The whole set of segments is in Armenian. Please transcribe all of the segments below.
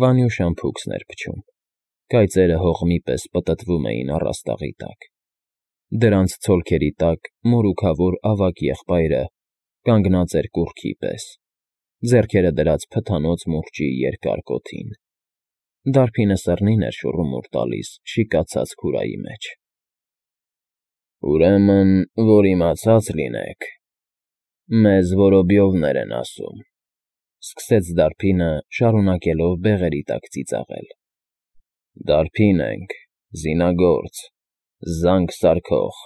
Վանյուշան փուքսն էր փչում, կայծերը հողմի պես պտտվում էին առաստաղի տակ, դրանց ցոլքերի տակ մորուքավոր ավագ եղբայրը կանգնած էր կուռքի պես, ձեռքերը դրած փթանոց մուրճի երկար կոթին, դարբինը սռնին էր շուռումուռ տալիս շիկացած քուրայի մեջ։ ֊ Ուրեմն, որ իմացած լինեք, մեզ Որոբյովներ են ասում,֊ սկսեց դարբինը, շարունակելով բեղերի տակ ծիծաղել,֊ դարբին ենք, զինագործ, զանգ սարքող,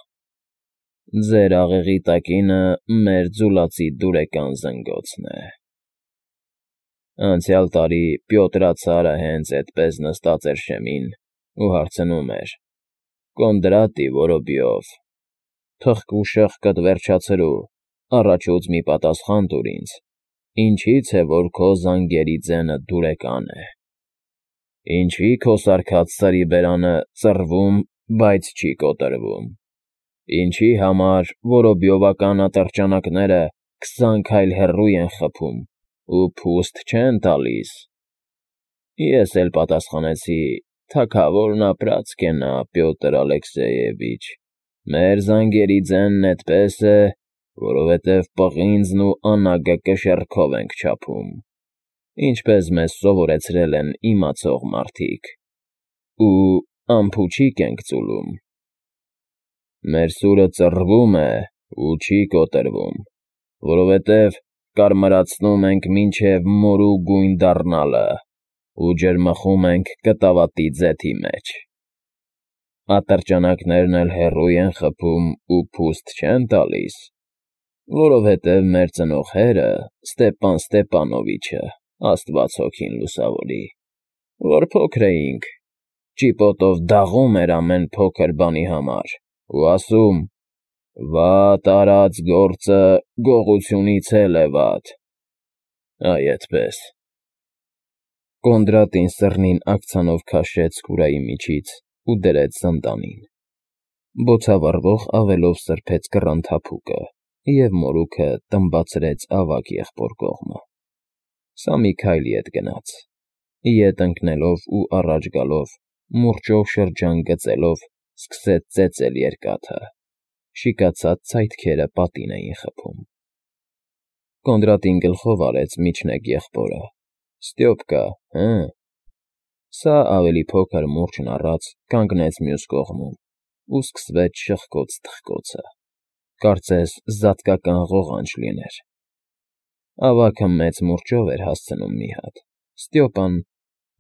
ձեր աղեղի տակինը մեր ձուլածի դուրեկան զնգոցն է… Անցյալ տարի Պյոտրացարը հենց էդպես նստած էր շեմին ու հարցնում էր. «Կոնդրատի Որոբյով, թխկուշեղկդ վերջացրու, առաջուց մի պատասխան տուր ինձ, ինչի՞ց է, որ քո զանգերի ձենը դուրեկան է, ինչի՞ քո սարքած սրի բերանը ծռվում, բայց չի կոտրվում, ինչի՞ համար որոբյովական ատրճանակները 20 քայլ հեռու են խփում ու փուստ չեն տալիս»։ Ես էլ պատասխանեցի. «Թագավորն ապրած կենա, Պյոտր Ալեքսեյևիչ, մեր զանգերի ձենն էդպես է, որովհետև պղինձն ու անագը կշեռքով ենք չափում, ինչպես մեզ սովորեցրել են իմացող մարդիկ, ու ամփոչիկ ենք ծուլում։ Մեր սուրը ծռվում է ու չի կոտրվում, որովհետև կարմրացնում ենք մինչև մորու գույն դառնալը ու ջրմխում ենք կտավատի ձեթի մեջ։ Ատրճանակներն էլ հեռու են խփում ու փուստ չեն տալիս, որովհետև մեր ծնողները Ստեպան Ստեպանովիչը, աստված հոգին լուսավորի, որ փոքր էինք, ճիպոտով դաղում էր ամեն փոքր բանի համար ու ասում. «Վատ արած գործը գողությունից էլ է վատ»։ Այ էդպես։ Կոնդրատին սռնին աքցանով քաշեց քուրայի միջից ու դրեց սնդանին, բոցավառվող ավելով սրբեց կռան թափուկը և մորուքը տմբացրեց ավագ եղբոր կողմը։ Սա մի քայլ ետ գնաց, ետ ընկնելով ու առաջ գալով, մուրճով շրջան գծելով, սկսեց ծեծել երկաթը, շիկացած ցայտքերը պատին էին խփում։ Կոնդրատին գլխով արեց միջնեկ եղբորը. «Ստյոպկա, հը՞»։ Սա ավելի փոքր մուրճն առած կանգնեց մյուս կողմում ու սկսվեց շխկոց֊թխկոցը, կարծես զատկական ղողանջ լիներ։ Ավագը մեծ մուրճով էր հասցնում մի հատ, Ստյոպան՝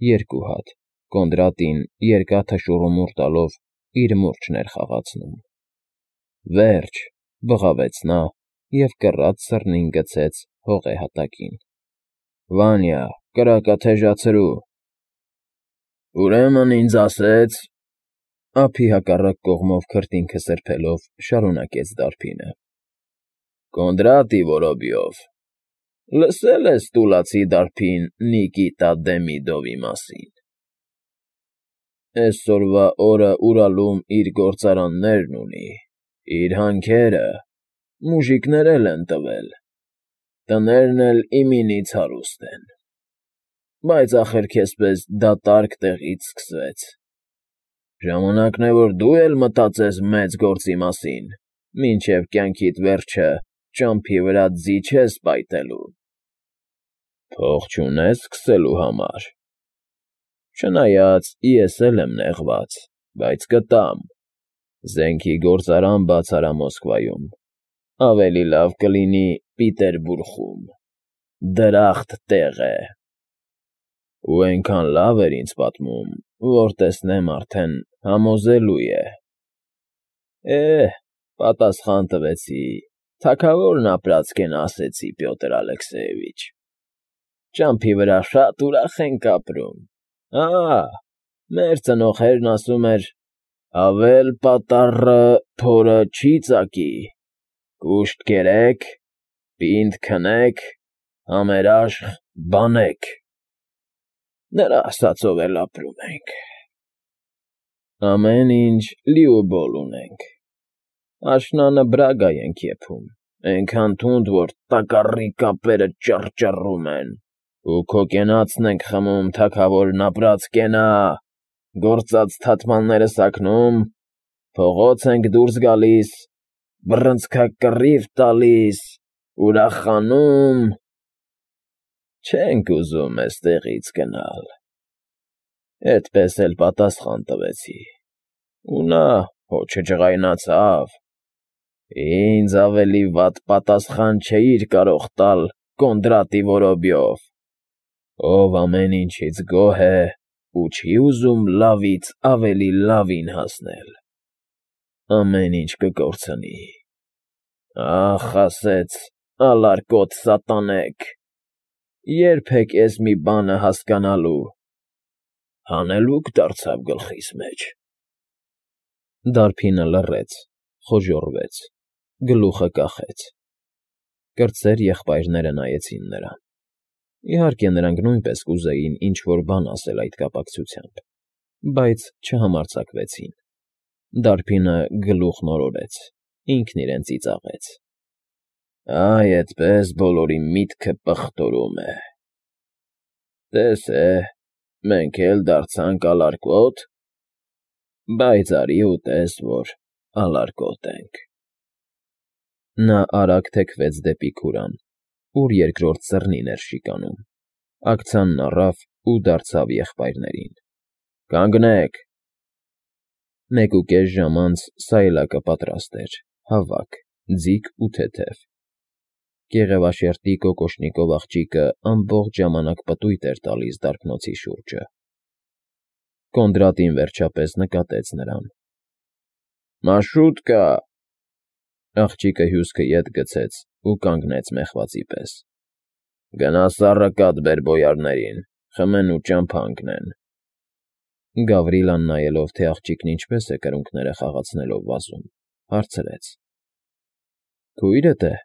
երկու հատ, Կոնդրատին երկաթը շուռումուռ տալով իր մուրճն էր խաղացնում։ «Վերջ», բղավեց նա և կռած սռնին գցեց հողե հատակին։ «Վանյա, կրակը թեժացրու»։ «Ուրեմն ինձ ասեց,֊ ափի հակառակ կողմով քրտինքը սրբելով շարունակեց դարբինը,֊ Կոնդրատի Որոբյով, լսե՞լ ես տուլացի դարբին Նիկիտա Դեմիդովի մասին։ Էսօրվա օրը Ուրալում իր գործարաններն ունի, իր հանքերը, մուժիկներ էլ են տվել, տներն էլ իմինից հարուստ են, բայց ախր քեզպես դատարկ տեղից սկսվեց։ Ժամանակն է, որ դու էլ մտածես մեծ գործի մասին, մինչև կյանքիդ վերջը ճամփի վրա ձի չես պայթելու։ Փող չունես սկսելու համար։ Չնայած ես էլ եմ նեղված, բայց կտամ, զենքի գործարան բաց արա Մոսկվայում, ավելի լավ կլինի Պիտերբուրգում, դրախտ տեղ է։ Ու էնքան լավ էր ինձ պատմում, որ տեսնեմ արդեն համոզելու է։ Պատասխան տվեցի, թագավորն ապրած կենա, ասեցի, Պյոտր Ալեքսեյևիչ, ճամփի վրա շատ ուրախ ենք ապրում, մեր ծնողներն ասում էր. «Ավել պատառը փորը չի ծակի, կուշտ կերեք, պինդ քնեք, համերաշխ բանեք»։ Նրա ասածով էլ ապրում ենք։ Ամեն ինչ լիուբոլ ունենք, աշնանը Բրագա ենք եփում, էնքան թունդ, որ տակառի կապերը ճռճռում են, Ու քո կենացն ենք խմում, թագավորն ապրած կենա, գործած թաթմանները սակնում, փողոց ենք դուրս գալիս, բռնցքակռիվ տալիս, ուրախանում, չենք ուզում էստեղից գնալ։ Էդպես էլ պատասխան տվեցի, ու նա հո չջղայնացավ։ Ինձ ավելի վատ պատասխան չէիր կարող տալ Կոնդրատի Որոբյով, ով ամեն ինչից գոհ է ու չի ուզում լավից ավելի լավին հասնել։ Ամեն ինչ կկորցնի։ Ախ, ասեց ալարկոտ սատանեք, երբեք ես մի բանը հասկանալու, հանելուկ դարձավ գլխիս մեջ։ Դարբինը լռեց, խոժոռվեց, գլուխը կախեց։ Կրտսեր եղբայրները նայեցին նրան։ Իհարկե, նրանք նույնպես կուզեին ինչ-որ բան ասել այդ կապակցությամբ, բայց չհամարձակվեցին։ Դարբինը գլուխն օրորեց, ինքն իրեն ծիծաղեց։ Այ այդպես բոլորի միտքը պղտորում է։ Տես է, մենք էլ դարձանք ալարկոտ, բայց արի ու տես, որ ալարկոտ ենք։ Նա արագ թեքվեց դեպի քուրան, ուր երկրորդ ծռնին էր շիկանում, աքցանն առավ ու դարձավ եղբայրներին. Կանգնեք։ 1.5 ժամ անց սայլակը պատրաստ էր, հավաք, ձիգ ու թեթև։ Գեղևաշերտի կոկոշնիկով աղջիկը ամբողջ ժամանակ պտույտ էր տալիս դարբնոցի շուրջը։ Կոնդրատին վերջապես նկատեց նրան։ Մաշուտկա։ Աղջիկը հյուսքը ետ գցեց ու կանգնեց մեղվածի պես։ Գնա սառը կաթ բեր բոյարներին, խմեն ու ճամփա ընկնեն։ Գավրիլան նայելով, թե աղջիկն ինչպես է կրունկները խաղացնելով վազում, հարցրեց. Քույրդ է։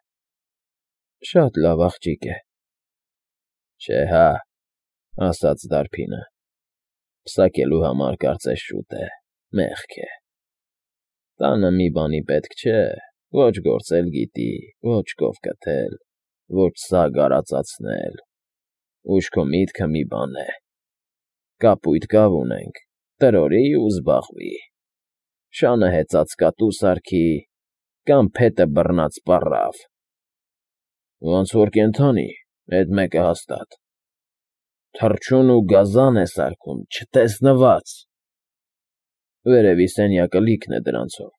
Շատ լավ աղջիկ է։ Չէ հա, ասաց դարբինը։ Պսակելու համար կարծես շուտ է, մեղք է։ Տանը մի բանի պետք չէ, ոչ գործել գիտի, ոչ կով կթել, ոչ սագ արածացնել, ուշքո միտքը մի բան է. կապույտ կավ ունենք, տրորի ու զբաղվի, շանը հեծած կատու սարքի, կամ փետը բռնած պառավ։ Ոնց որ կենդանի, էդ մեկը հաստատ։ Թռչուն ու գազան է սարքում, չտեսնված։ Վերևի սենյակը լիքն է դրանցով։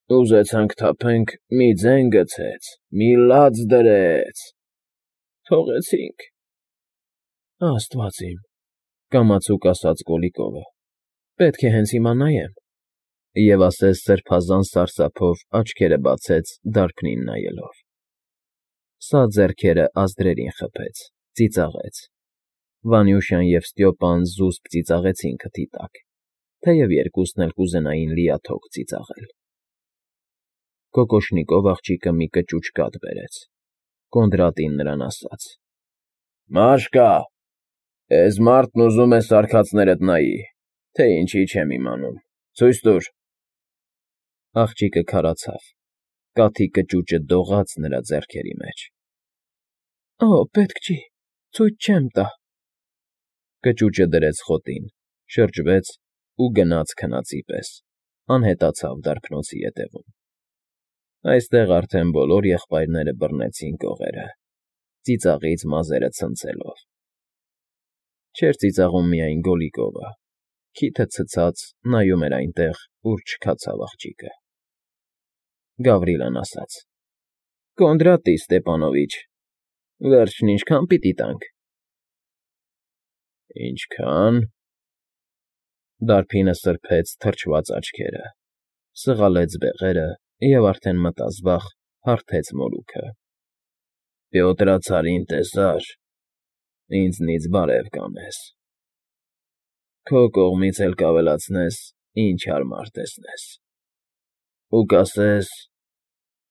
Ուզեցանք թափենք, մի ձեն գցեց, մի լաց դրեց։ Թողեցինք։ Աստված իմ, կամացուկ ասաց Կոլիկովը, պետք է հենց հիմա նայեմ։ Եվ ասես սրբազան սարսափով աչքերը բացեց դարբնին նայելով։ Սա ձեռքերը ազդրերին խփեց, ծիծաղեց։ Վանյուշան և Ստյոպան զուսպ ծիծաղեցին քթի տակ, թեև երկուսն էլ կուզենային լիաթոք ծիծաղել։ Կոկոշնիկով աղջիկը մի կճուճ կաթ բերեց։ Կոնդրատին նրան ասաց. Մաշկա, էս մարդն ուզում է սարքածներդ նայի, թե ինչի չեմ իմանում, ցույց տուր։ Աղջիկը քարացավ, կաթի կճուճը դողաց նրա ձեռքերի մեջ։ Օ, պետք չի, ցույց չեմ տա։ Կճուճը դրեց խոտին, շրջվեց ու գնաց քնածի պես, անհետացավ դարբնոցի ետևում։ Այստեղ արդեն բոլոր եղբայրները բռնեցին կողերը, ծիծաղից մազերը ցնցելով։ Չէր ծիծաղում միայն Գոլիկովը, քիթը ցցած նայում էր այնտեղ, ուր չքացավ աղջիկը։ Գավրիլան ասաց. Կոնդրատի Ստեպանովիչ, վերջն ինչքան պիտի տանք։ Ինչքան։ Դարբինը սրբեց թրջված աչքերը, սղալեց բեղերը և արդեն մտազբաղ հարթեց մորուքը։ Պյոտրացարին տեսար, ինձնից բարև կանես։ Քո կողմից էլ կավելացնես, ինչ հարմար տեսնես։ Ու կասես,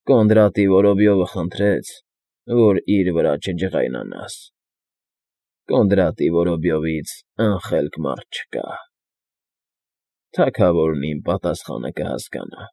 Կոնդրատի Որոբյովը խնդրեց, որ իր վրա չջղայնանաս։ Կոնդրատի Որոբյովից անխելք մարդ չկա։ Թագավորն իմ պատասխանը կհասկանա։